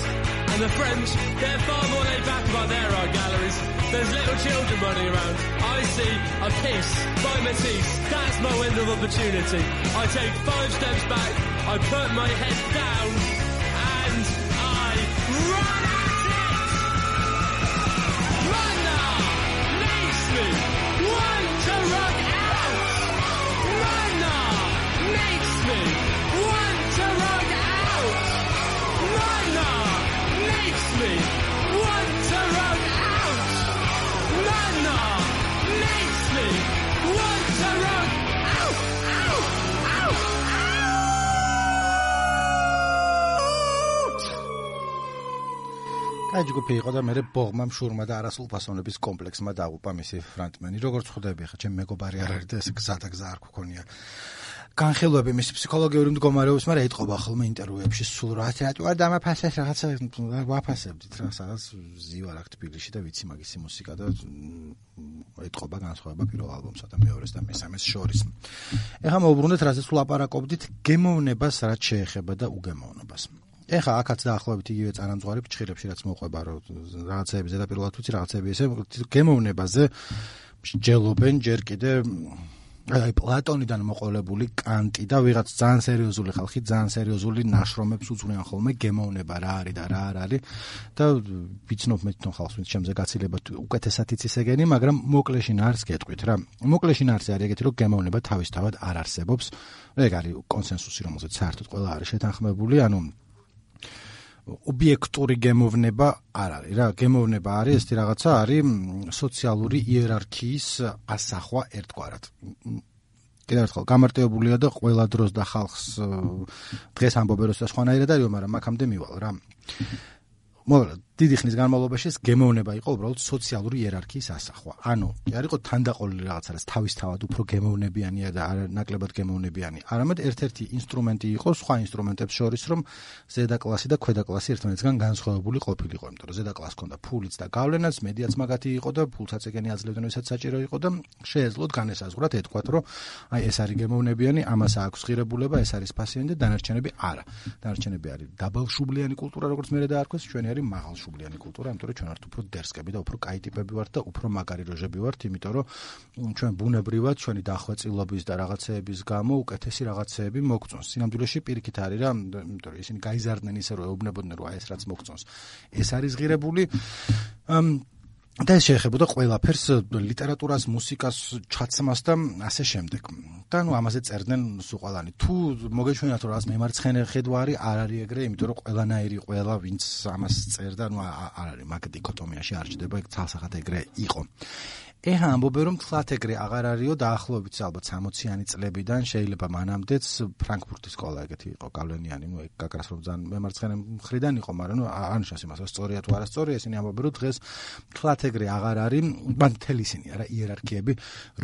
And the French, they're far more laid back about their art galleries. There's little children running around. I see a piece by Matisse. That's my window of opportunity. I take five steps back, I put my head down, and I run at it! Runner makes me want to run out! Runner makes me want to run out! Runner makes me want to run out. Runner makes me want to run out. Ow, ow, out. კაი ჯგუფი იყო და მე ბოღმა მშურმა და არასრულფასოვნების კომპლექსმა დაუპა მისი ფრონტმენი. როგორც ხვდები ხა, ჩემი მეგობარი არ არის და ეს გზა და გზა არ გქონია. განხილვები მის ფსიქოლოგიური მდგომარეობის, მაგრამ ეთყობა ხოლმე ინტერვიუებში სულ რა რატო არ დამაფასეს რაღაცა ვაფასებდით რა სადაც ზივარ აქ თბილისში და ვიცი მაგისი მუსიკა და ეთყობა განსხვავება პირველ ალბომსა და მეორეს და მესამეს შორის. ეხლა მოვუბრუნდეთ რასაც ვლაპარაკობდით გემოვნებას რაც შეეხება და უგემოვნობას. ეხლა აქაც დაახლოებით იგივე წარამძღვარი ფჩხილებში რაც მოყვება რომ რაღაცეები ზედაპირულად ვიცი რაღაცეები ესე გემოვნებაზე მსჯელობენ ჯერ კიდე აი პლატონიდან მოყოლებული კანტი და ვიღაც ძალიან სერიოზული ხალხი ძალიან სერიოზული ნაშრომებს უძღვიან ხოლმე გემოვნება რა არის და რა არ არის და ვიცნობ მე თვითონ ხალხს ვინც შემზე გაცილება უკეთესად იცის ეგენი მაგრამ მოკლეში ნარს გეტყვით რა მოკლეში ნარსი არის ეგეთი რომ გემოვნება თავისთავად არ არსებობს ეგ არის კონსენსუსი რომელზეც საერთოდ ყველა არის შეთანხმებული ანუ ობიექტური გემოვნება არ არის რა, გემოვნება არის ესეთი რაღაცა არის სოციალური იერარქიის ასახვა ერთგვარად. კიდევ ერთხელ გამარტივებულია და ყველა დროს და ხალხს დღეს ამბობენ რომ სხვანაირად არის, მაგრამ აქამდე მივალ რა. მოგლა დიდი ხნის განმავლობაში ეს გემოვნება იყო უბრალოდ სოციალური იერარქიის ასახვა. ანუ არ იყო თანდაყოლილი რაღაცა, რაც თავისთავად უფრო გემოვნებიანია და არ ნაკლებად გემოვნებიანი. არამედ ერთ-ერთი ინსტრუმენტი იყო სხვა ინსტრუმენტებს შორის, რომ ზედა კლასი და ქვედა კლასი ერთმანეთისგან განსხვავებული ყოფილიყო, იმიტომ რომ ზედა კლასს ჰქონდა ფულიც და გავლენაც, მედიაც მაგათი იყო და ფულსაწეგენი აძლევდნენ, ვისაც საჭირო იყო და შეეძლოთ განესაზღვრათ ეთქვათ, რომ აი ეს არის გემოვნებიანი, ამას აქვს ღირებულება, ეს არის ფასიანი და დანარჩენები არა. დანარჩენები არის დაბალშუბლიანი კულტურა, როგორც მე დაარქვეს, ჩვენი არის მაღალ შუბლიანი კულტურა, იმიტომ რომ ჩვენ ვართ უფრო დერსკები და უფრო კაი ტიპები ვართ და უფრო მაგარი როჟები ვართ, იმიტომ რომ ჩვენ ბუნებრივად ჩვენი დახვეწილობის და რაღაცეების გამო უკეთესი რაღაცეები მოგწონს. სინამდვილეში პირიქით არის რა, იმიტომ რომ ისინი გაიზარდნენ ისე რომ ეუბნებოდნენ რომ აი ეს რაც მოგწონს, ეს არის ღირებული. და ეს შეეხებოდა ყველაფერს, ლიტერატურას, მუსიკას, ჩაცმას და ასე შემდეგ. და ნუ ამაზე წერდნენ სუყალანი. თუ მოგეჩვენათ რომ რაღაც მემარცხენე ხედვა არის, არ არის ეგრე, იმიტომ რომ ყველანაირი ყველა ვინც ამას წერდა, ნუ არ არის მაგ დიქოტომიაში არ ჩდება, ეგ ცალსახად ეგრე იყო. ეხა ამბობენ რომ თლათ ეგრე აღარ არისო დაახლოებით ალბათ სამოციანი წლებიდან შეიძლება მანამდეც ფრანკფურტის სკოლა ეგეთი იყო გავლენიანი, ნუ ეგ გაკრას რომ ძალიან მემარცხენე მხრიდან იყო, მაგრამ ნუ არ ნიშნავს იმას, რომ სწორია თუ არასწორია, ისინი ამბობენ რომ დღეს თლათ ეგრე აღარ არის, მან მთელი ისინი არა იერარქიები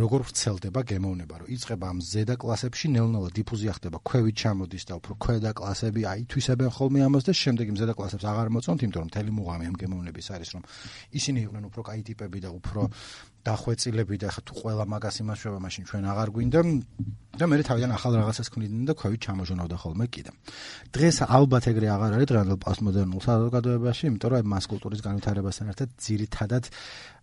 როგორ ვრცელდება გემოვნება, რომ იწყება ამ ზედა კლასებში, ნელ-ნელა დიფუზია ხდება, ქვევით ჩამოდის და უფრო ქვედა კლასები აითვისებენ ხოლმე ამას და შემდეგ იმ ზედა კლასებს აღარ მოწონთ, იმიტომ რომ მთელი მუღამი ამ გემოვნების არის, რომ ისინი იყვნენ უფრო კაი ტიპები და უფრო დახვეწილები და ხა თუ ყველა მაგას იმაშვება, მაშინ ჩვენ აღარ გვინდა და მე თავიდან ახალ რაღაცას ქმნიდნენ და ქვევით ჩამოჟონავდა ხოლმე კიდე. დღეს ალბათ ეგრე აღარ არის დღევანდელ პოსტმოდერნულ საზოგადოებაში, იმიტომ რომ მას კულტურის განვითარებასთან ერთად ძირითადად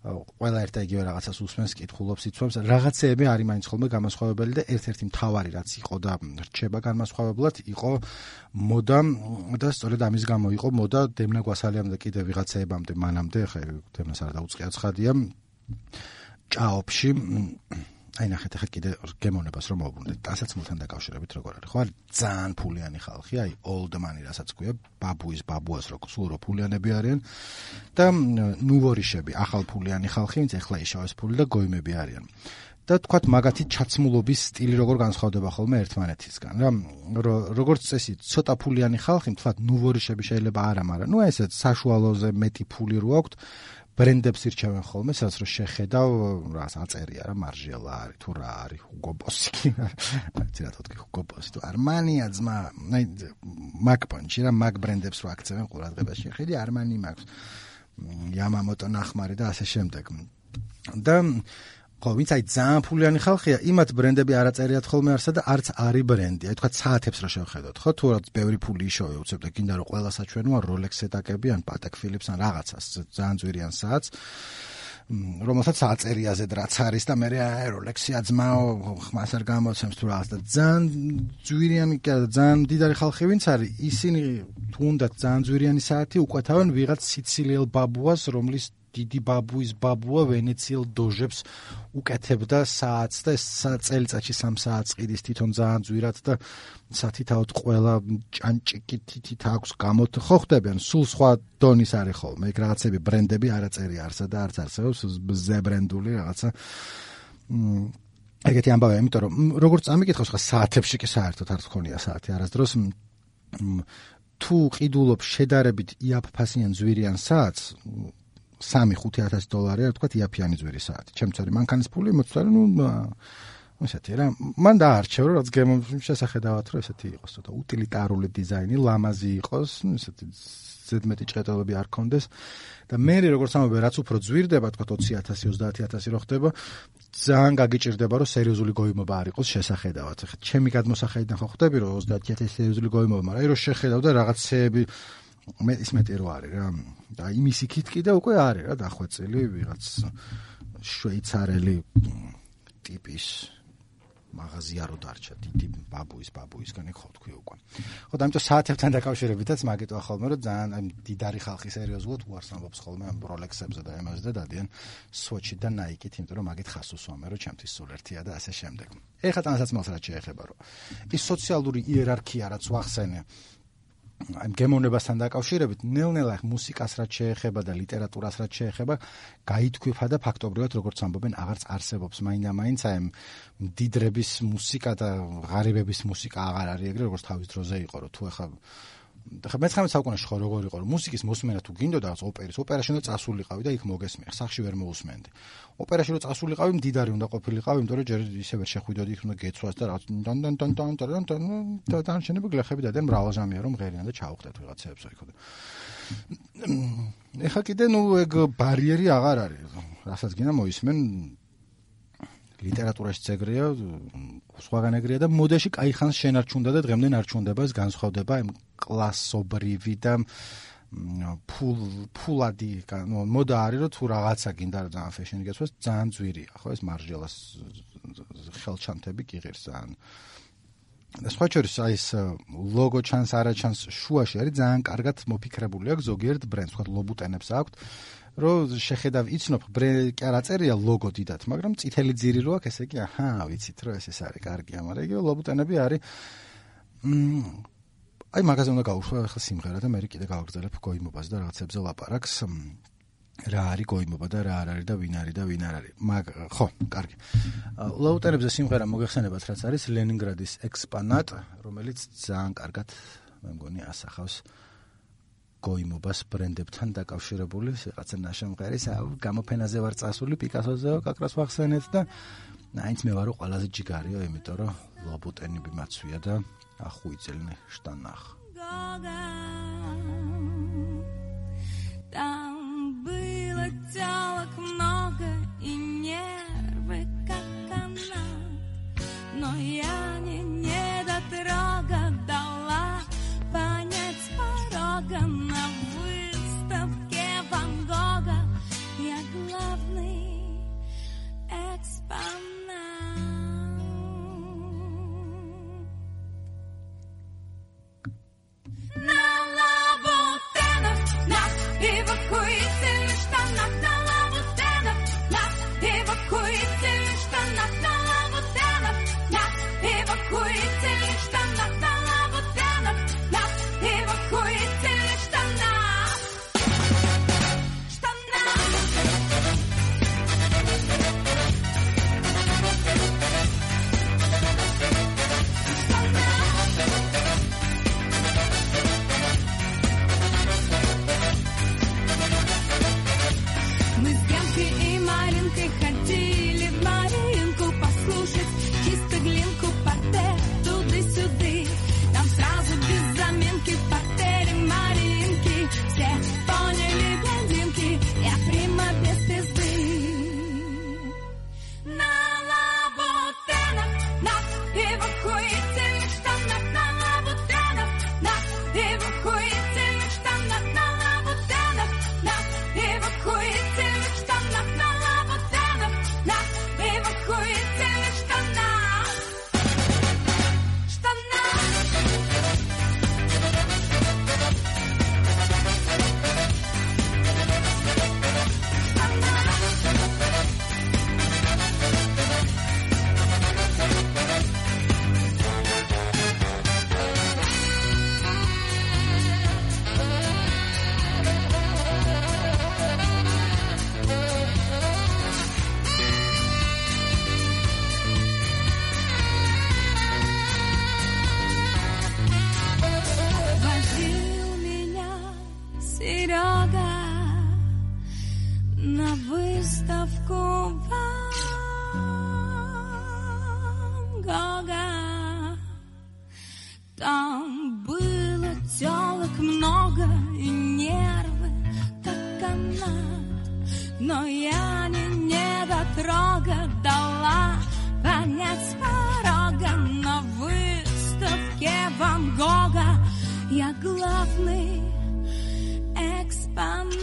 ყველა ერთ და იგივე რაღაცას უსმენს, კითხულობს, იცვამს, რაღაცეები არის მაინც ხოლმე განმასხვავებელი და ერთ-ერთი მთავარი რაც იყო და რჩება განმასხვავებლად იყო მოდა და სწორედ ამის გამო იყო მოდა დემნა გვასალიამ და კიდე ვიღაცეებამდე მანამდე, ხა დემნას არ დაუწყია ცხადია ჭაობში, აი ნახეთ ახლა კიდე გემოვნებას რომ მოვუბრუნდეთ, ტანსაცმელთან დაკავშირებით როგორ არის, ხო არის ძალიან ფულიანი ხალხი, აი old money რასაც ქვია, ბაბუის ბაბუას რო სულ რო ფულიანები არიან და ნუვორიშები, ახალ ფულიანი ხალხი, ვინც ახლა იშავეს ფული და გოიმები არიან. და თქვათ მაგათი ჩაცმულობის სტილი როგორ განსხვავდება ხოლმე ერთმანეთისგან რა, როგორც წესი ცოტა ფულიანი ხალხი, თქვათ ნუვორიშები შეიძლება არა, მაგრამ ნუ ესე საშუალოზე მეტი ფული რო აქვთ, ბრენდებს ირჩევენ ხოლმე, სადაც რომ შეხედავ, რას აწერია რა, მარჟელა არის, თუ რა არის, ჰუგო ბოსი. რა თქო, ჰუგო ბოსი თუ არმანია ძმა, აი მაგ პანჩი რა, მაგ ბრენდებს რო აქცევენ ყურადღებას შეხედი, არმანი მაქვს. იამამოტო ნახმარი და ასე შემდეგ. და ხო, ვინც აი ძალიან ფულიანი ხალხია, იმათ ბრენდები არ აწერიათ ხოლმე არსა და არც არის ბრენდი. აი თქვა საათებს რა შევხედოთ, ხო? თუ რაც ბევრი ფული იშოვე, უცებ და გინდა რომ ყველა საჩვენოა Rolex-ზე დაკები ან Patek Philippe-ს ან რაღაცას, ძალიან ძვირიან საათს, რომელსაც აწერიაზე რაც არის და მე აი Rolex-ი აძმაო, ხმას არ გამოცემს თუ რაღაც და ძალიან ძვირიანი, ძალიან მდიდარი ხალხი ვინც არის, ისინი თუნდაც ძალიან ძვირიანი საათი უყვეთავენ ვიღაც სიცილიელ ბაბუას, რომლის დიდი ბაბუის ბაბუა ვენეციელ დოჟებს უკეთებდა საათს და წელიწადში სამ საათს ყიდის თვითონ ძალიან ძვირად და სათითაოდ ყველა ჭანჭიკით აქვს გამოთ ხო ხდებიან, სულ სხვა დონის არის ხოლმე, ეგ რაღაცები ბრენდები არ აწერია არსა და არც არსებობს ზებრენდული რაღაცა. ეგეთი ამბავია, იმიტომ რომ როგორც ამიკითხავს ხა საათებში კი საერთოდ არ თქონია საათი არასდროს. თუ ყიდულობ შედარებით იაფფასიან ძვირიან საათს, სამი ხუთი ათასი დოლარი არ თქვა იაფიანი ძვირი საათი. ჩემც არის მანქანის ფული მოცვალე, ნუ ესეთი რა. მან დაარჩევ რომ რაც გემოვნების შესახედავად რომ ესეთი იყოს, ცოტა უტილიტარული დიზაინი, ლამაზი იყოს, ნუ ესეთი ზედმეტი ჭყეტელები არ ქონდეს და მე როგორც ამბობენ, რაც უფრო ძვირდება, თქვა ოცი ათასი, ოცდაათი ათასი რო ხდება, ძალიან გაგიჭირდება რომ სერიოზული გოიმობა არ იყოს შესახედავად. ახლა ჩემი გადმოსახედიდან ხო ხდები რომ ოცდაათი ათასი სერიოზული გოიმობა, მაგრამ აი რომ შეხედავ და რაღაცეები მე ის მეტი რო არის რა და იმის იქით კიდე უკვე არის რა დახვეწილი ვიღაც შვეიცარელი ტიპის მაღაზია რო დარჩა დიდი ბაბუის ბაბუისგან ხო თქვი უკვე ხო და ამიტომ საათებთან დაკავშირებითაც მაგიტოა ხოლმე რომ ძალიან აი დიდარი ხალხი სერიოზულად უარს ამბობს ხოლმე ამ Rolex-ებზე და ემ-ზე და დადიან Swatch-ით და Nike-ით, იმიტომ რომ მაგით ხას უსვამენ რომ ჩემთვის სულ ერთია და ასე შემდეგ. ეხლა თანასაცმელს რაც შეეხება რომ ის სოციალური იერარქია რაც ვახსენე აი გემოვნებასთან დაკავშირებით ნელ-ნელა მუსიკას რაც შეეხება და ლიტერატურას რაც შეეხება გაითქვიფა და ფაქტობრივად როგორც ამბობენ აღარც არსებობს მაინდა-მაინც აი მდიდრების მუსიკა და ღარიბების მუსიკა აღარ არის ეგრე როგორც თავის დროზე იყო რომ თუ ახლა ხა მეცხრამეტ საუკუნეში ხო როგორ იყო რომ მუსიკის მოსმენა თუ გინდოდა რაღაც ოპერის ოპერაში უნდა წასულიყავი და იქ მოგესმიერ სახში ვერ მოусმენდი ოპერაში რომ წასულიყავი მდიდარი უნდა ყოფილიყავი იმიტომ რომ ჯერ ისე ვერ შეხვიდოდი იქ უნდა გეცვას და რაღაც დან დან დან დან დან და დანარჩენები გლეხები დადიან მრავალჟამია რომ ღერიან და ჩაუხდეთ ვიღაცებს იქ და ეხა კიდე ნუ ეგ ბარიერი აღარ არის რასაც გინდა მოისმენ ლიტერატურაში ეგრეა, სხვაგან ეგრეა და მოდაში კაი ხანს შენარჩუნდა და დღემდე ნარჩუნდება ეს განსხვავდება იმ კლასობრივი და ფულ ფულადი, ნუ მოდა არის რომ თუ რაღაცა გინდა რა ძალიან ფეშენი გასვას, ძალიან ძვირია, ხო ეს მარჟელას ხელჩანთები კი ღირს ძალიან. და სხვა შორის აი ეს ლოგო ჩანს, არა ჩანს შუაში არის ძალიან კარგად მოფიქრებული აქვს ზოგიერთ ბრენდს, თქვა ლობუტენებს აქვთ. რომ შეხედავ იცნობ კი არა წერია ლოგო დიდად, მაგრამ წითელი ძირი რო აქვს, ესე იგი, აჰა, ვიცით რომ ეს ეს არის კარგია, მაგრამ იგივე ლობუტენები არის. აი მაგაზე უნდა გავუშვა ახლა სიმღერა და მე კიდე გავაგრძელებ გოიმობას და რაღაცებზე ლაპარაკს. რა არის გოიმობა და რა არ არის და ვინ არის და ვინ არ არის. მაგ ხო, კარგი. ლობუტენებზე სიმღერა მოგეხსენებათ, რაც არის ლენინგრადის ექსპანატ, რომელიც ძალიან კარგად მე მგონი ასახავს გოიმობას ბრენდებთან დაკავშირებული რაღაცა ნაშამღერის გამოფენაზე ვარ წასული პიკასოზე კაკრას ვახსენეთ და აინც მე ვარო ყველაზე ჯიგარიო იმიტომ რომ ლობუტენები მაცვია და ახუიძელნე შტანახ там было тёлок много и нервы как канат но я не недотрога дала понять порога на выставке Ван Гога я главный экспонат. На лабутенах, на эвакуированных штанах, на лабутенах, на эвакуированных штанах, на лабутенах, на эвакуированных штанах, на лабутенах, на эвакуированных штанах. Мы с Генкой и Маринкой ходили в Маринку послушать чисто глинку, портер туды-сюды. Там сразу без заминки в портере Маринки все поняли блондинки, я прима без пизды. На лабутенах, на эвакуированных штанах, на лабутенах, на эвакуированных штанах, на лабутенах, на эвакуированных штанах, на лабутенах, на эвакуированных штанах. Штанах. Возил меня Серега на выставку Ван Гога. Там было тёлок много и нервы как канат, но я не недотрога дала понять с порога на выставке Ван Гога. Я главный экспонат.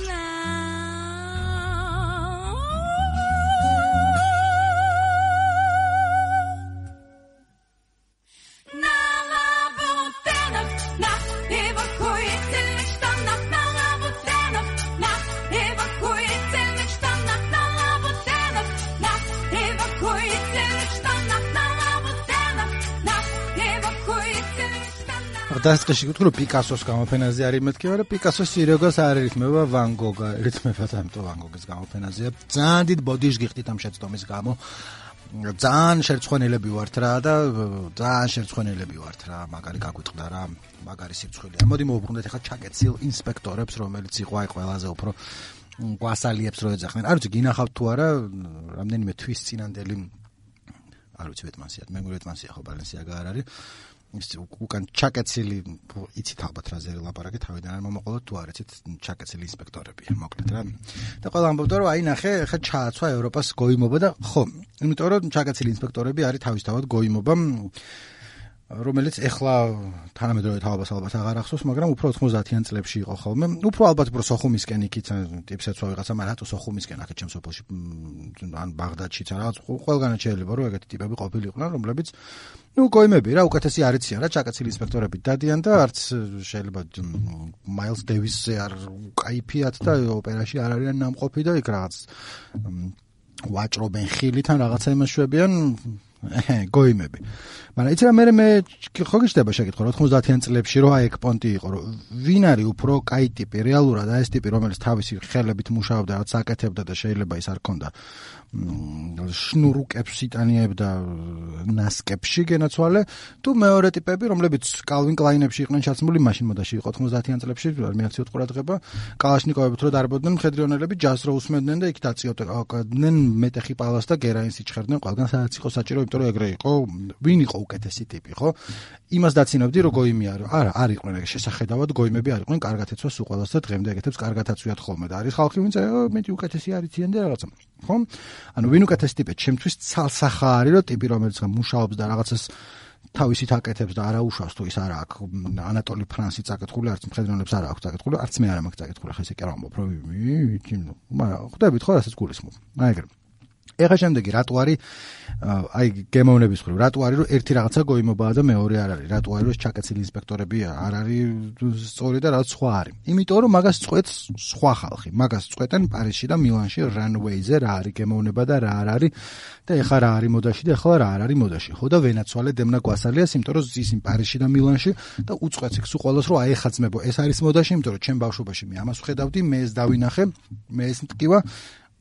На лабутенах, на эвакуированных штанах, на лабутенах, на эвакуированных штанах, на лабутенах, на эвакуированных штанах, на лабутенах, на эвакуированных штанах. დასაწყისში გითხრა რომ პიკასოს გამოფენაზე არის მეთქი, მაგრამ პიკასოს სირეგოს არ ირითმება ვან გოგა, ირითმება თამტო ვან გოგის გამოფენაზეა. ძალიან დიდ ბოდიშს გიხდით ამ შეცდომის გამო. ძალიან შერცხვენილები ვართ რა და ძალიან შერცხვენილები ვართ რა, მაგარი გაგვიტყდა რა, მაგარი სიცხვილია. მოდი მოვუბრუნდეთ ახლა ჩაკეცილ ინსპექტორებს, რომელიც იყო აი ყველაზე უფრო გვასალიებს რო ეძახდნენ. არ ვიცი გინახავთ თუ არა, რამდენიმე თვის წინანდელი არ ვიცი ვეტმანსია, მე ვეტმანსია ხო ბალენსიაგა არ არის. ის უკან ჩაკეცილი იცით ალბათ რა ზერი ლაპარაკი თავიდან არ მომოყოლოთ თუ არ იცით ჩაკეცილი ინსპექტორებია მოკლედ რა და ყველა ამბობდა რომ აი ნახე ხა ჩააცვა ევროპას გოიმობა და ხო იმიტომ რომ ჩაკეცილი ინსპექტორები არის თავისთავად გოიმობა რომელიც ეხლა თანამედროვე თაობას ალბათ აღარ ახსოვს მაგრამ უფრო ოთხმოცდაათიან წლებში იყო ხოლმე უფრო ალბათ უფრო სოხუმისკენ იქით ტიპსეცვა ვიღაცა მაგრამ რატო სოხუმისკენ აქეთ ჩემს სოფელში ან ბაღდადშიც რა ყველგანაც შეიძლება რომ ეგეთი ტიპები ყოფილიყვნენ რომლებიც ну გოიმები რა უკეთესი არიციან რა ჩაკეცილი ინსპექტორები დადიან და არც შეიძლება მაილს დევისზე არ უკაიფიათ და ოპერაში არ არიან ნამყოფი და იქ რაღაც ვაჭრობენ ხილიდან რაღაცა იმაშვებიან გოიმები მაგრამ იცი რა მე მე ხო გიჩნდება შეკითხვა ოთხმოცდაათიან წლებში რო აი ეგ პონტი იყო რომ ვინ არის უფრო კაი ტიპი რეალურად აი ეს ტიპი რომელიც თავისი ხელებით მუშაობდა რაც აკეთებდა და შეიძლება ის არ ქონდა შნურუკებს იტანიებდა ნასკებში გენაცვალე თუ მეორე ტიპები რომლებიც კალვინ კლაინებში იყვნენ ჩაცმული მაშინ მოდაში იყო ოთხმოცდაათიან წლებში მეაქციოდ ყურადღება კალაშნიკოვებით რო დარბოდნენ მხედრიონელები ჯაზს რო უსმენდნენ და იქ დაწიოდნენ მეტეხი პალას და გერაინს იჩხერდნენ ყველგან სადაც იყო საჭირო იმიტომ რომ ეგრე იყო ვინ იყო უკეთესი ტიპი ხო იმას დაცინობდი რომ გოიმი არ არა არ იყვნენ ეგ შესახედავად გოიმები არ იყვნენ კარგად ეცვა სულ ყველას და დღემდე ეგეთებს კარგად აცვიათ ხოლმე და არის ხალხი ვინც მეტი უკეთესი არიციან და რაღაცა ხო ანუ ვინ უკეთესი ტიპი ჩემთვის ცალსახა არის რომ ტიპი რომელიც მუშაობს და რაღაცას თავისით აკეთებს და არა უშავს თუ ის არა აქვს ანატოლი ფრანსი წაკითხული არც მხედრონებს არა აქვს წაკითხული არც მე არ მაქვს წაკითხული ხა ესე კი არ ვამბობ რომ მაგრამ ხვდებით ხო რასაც გულისხმობ აი ეგრე ეხა შემდეგი რატო არის აი გემოვნების ხრივ რატო არის რომ ერთი რაღაცა გოიმობაა და მეორე არ არის რატო არის რომ ჩაკეცილი ინსპექტორები არ არის სწორი და რაც სხვა არის იმიტომ რომ მაგას წყვეტს სხვა ხალხი მაგას წყვეტენ პარიზში და მილანში რანვეიზე რა არის გემოვნება და რა არ არის და ეხა რა არის მოდაში და ეხლა რა არ არის მოდაში ხო და ვენაცვალე დემნა გვასალიას იმიტომ რომ ზისინ პარიზში და მილანში და უწყვეტს იქ სულ ყოველს რომ აი ეხა ძმებო ეს არის მოდაში იმიტომ რომ ჩემ ბავშვობაში მე ამას ვხედავდი მე ეს დავინახე მე ეს მტკივა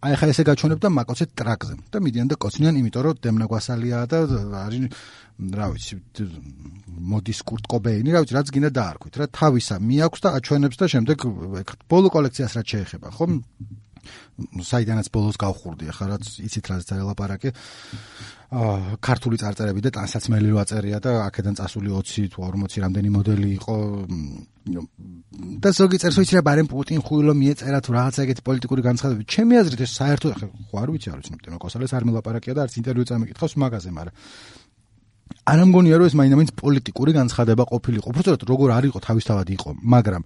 აი ხა ესე გაჩვენებ და მაკოცეთ ტრაკზე და მიდიან და კოცნიან იმიტომ რომ დემნა გვასალიაა და არის რა ვიცი მოდის კურტ კობეინი რა ვიცი რაც გინდა დაარქვით რა თავისა მიაქვს და აჩვენებს და შემდეგ ბოლო კოლექციას რაც შეეხება ხო საიდანაც ბოლოს გავხურდი ახლა რაც იცით რაზეც არის ლაპარაკი აა ქართული წარწერები და ტანსაცმელი რო აწერია და აქედან წასული ოცი თუ ორმოცი რამდენი მოდელი იყო და ზოგი წერს ვიცი რა ბარემ პუტინ ხუილო მიეწერა თუ რაღაცა ეგეთი პოლიტიკური განცხადებები ჩემი აზრით ეს საერთოდ ახლა ხო არ ვიცი არ ვიცი დემნა გვასალიას არ მელაპარაკია და არც ინტერვიუ წამიკითხავს მაგაზე მაგრამ არ ამგონია რომ ეს მაინც პოლიტიკური განცხადება ყოფილიყო. უბრალოდ როგორ არ იყო თავისთავად იყო, მაგრამ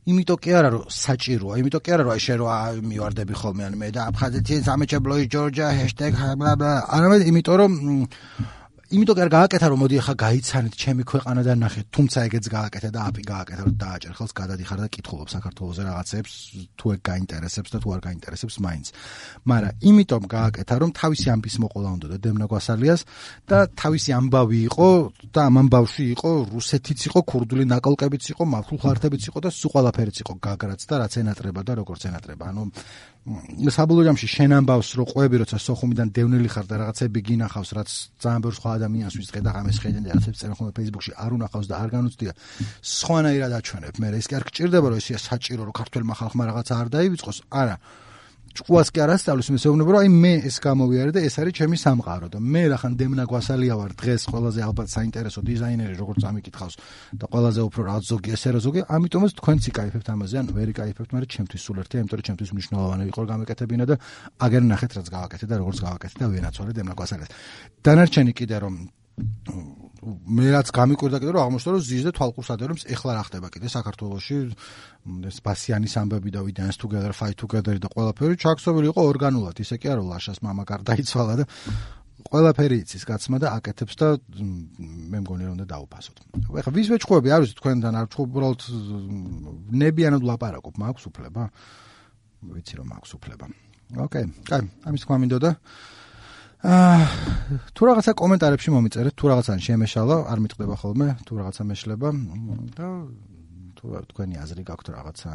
იმიტომ კი არა რომ საჭიროა, იმიტომ კი არა რომ აი შენ რო მივარდები ხოლმე ან მე და აფხაზეთი სამეჩებლოი ჯორჯა ჰეშტეგ ბლა არამედ იმიტომ რომ იმიტომ კი არ გააკეთა რომ მოდი ახლა გაიცანით ჩემი ქვეყანა და ნახეთ, თუმცა ეგეც გააკეთა და აპი გააკეთა რომ დააჭერ ხელს გადადიხარ და კითხულობ საქართველოზე რაღაცებს, თუ ეგ გაინტერესებს და თუ არ გაინტერესებს მაინც. მაგრამ იმიტომ გააკეთა რომ თავისი ამბის მოყოლა უნდა და დემნა გვასალიას და თავისი ამბავი იყო და ამ ამბავში იყო რუსეთიც იყო, ქურდული ნაკალკებიც იყო, მართულ ხალხებიც იყო და სულ ყველაფერიც იყო გაგრაც და რაც ენატრება და როგორც ენატრება. ანუ საბოლოო ჯამში შენ ამბავს რომ ყვები როცა სოხუმიდან დევნილი ხარ და რაღაცები გინახავს რაც ძალიან ბევრ სხვა ადამიანს ვის ხედა ამის ხედენ და რაღაცებს წერენ ხოლმე Facebook-ში არ უნახავს და არ განუცდია სხვანაირად აჩვენებ მე ეს კი არ გჭირდება რომ ესეა საჭირო რომ ქართველმა ხალხმა რაღაცა არ დაივიწყოს არა ჭკუას კი არ ასწავლის მესეუბნება რომ აი მე ეს გამოვიარე და ეს არის ჩემი სამყარო და მე რახან დემნა გვასალია ვარ დღეს ყველაზე ალბათ საინტერესო დიზაინერი როგორც ამიკითხავს და ყველაზე უფრო რაღაც ზოგი ესე რა ზოგი ამიტომაც თქვენც იკაიფებთ ამაზე ან ვერ იკაიფებთ მაგრამ ჩემთვის სულ ერთია იმიტომ რომ ჩემთვის მნიშვნელოვანი იყო გამეკეთებინა და აგერ ნახეთ რაც გავაკეთე და როგორც გავაკეთე და ვენაცვალე დემნა გვასალიას დანარჩენი კიდე რომ მე რაც გამიკვირდა კიდე რომ აღმოჩნდა რომ ზიზ და თვალყურს ადერებს ეხლა რა ხდება კიდე საქართველოში ეს ბასიანის ამბები და we dance together fight together და ყველაფერი ჩაქსოვილი იყო ორგანულად ისე კი არა ლაშას მამა გარდაიცვალა და ყველაფერი იცის კაცმა და აკეთებს და მე მგონი რომ უნდა დაუფასოთ. ეხლა ვის ვეჭხვები არ ვიცი თქვენთან არ ვჭხვობ უბრალოდ ნებიანად ვლაპარაკობ მაქვს უფლება ვიცი რომ მაქვს უფლება. ოკეი, კაი, ამის თქვა მინდოდა აა თუ რაღაცა კომენტარებში მომიწერეთ, თუ რაღაცა შემეშალა, არ მიტყდება ხოლმე, თუ რაღაცა მეშლება და თუ თქვენი აზრი გაქვთ რაღაცა.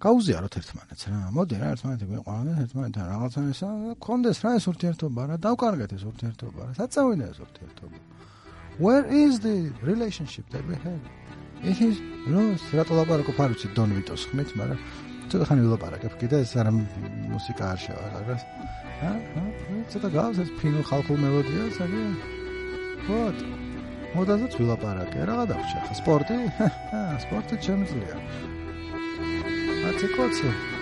გაუზიაროთ ერთმანეთს რა. მოდი რა ერთმანეთი გვიყვანოთ, ერთმანეთთან რაღაცა ესა, გქონდეს რა ეს ურთიერთობა რა, დავკარგეთ ეს ურთიერთობა რა. საწევინია ეს ურთიერთობა. Where is the relationship that we have? It is როს რატო ლაპარაკობ არ ვიცი დონ ვიტოს ხმით, მაგრამ ცოტა ხანი ვილაპარაკებ კიდე ეს არა მუსიკა არ შევარ, რა. ჰა? ცოტა გავს ეს ფინურ ხალხურ მელოდიას, აგე. ვოთ. მოდაზეც ვილაპარაკე, რა გადავრჩა ხა სპორტი? ჰა, სპორტი შემიძლია. აცი კოცი.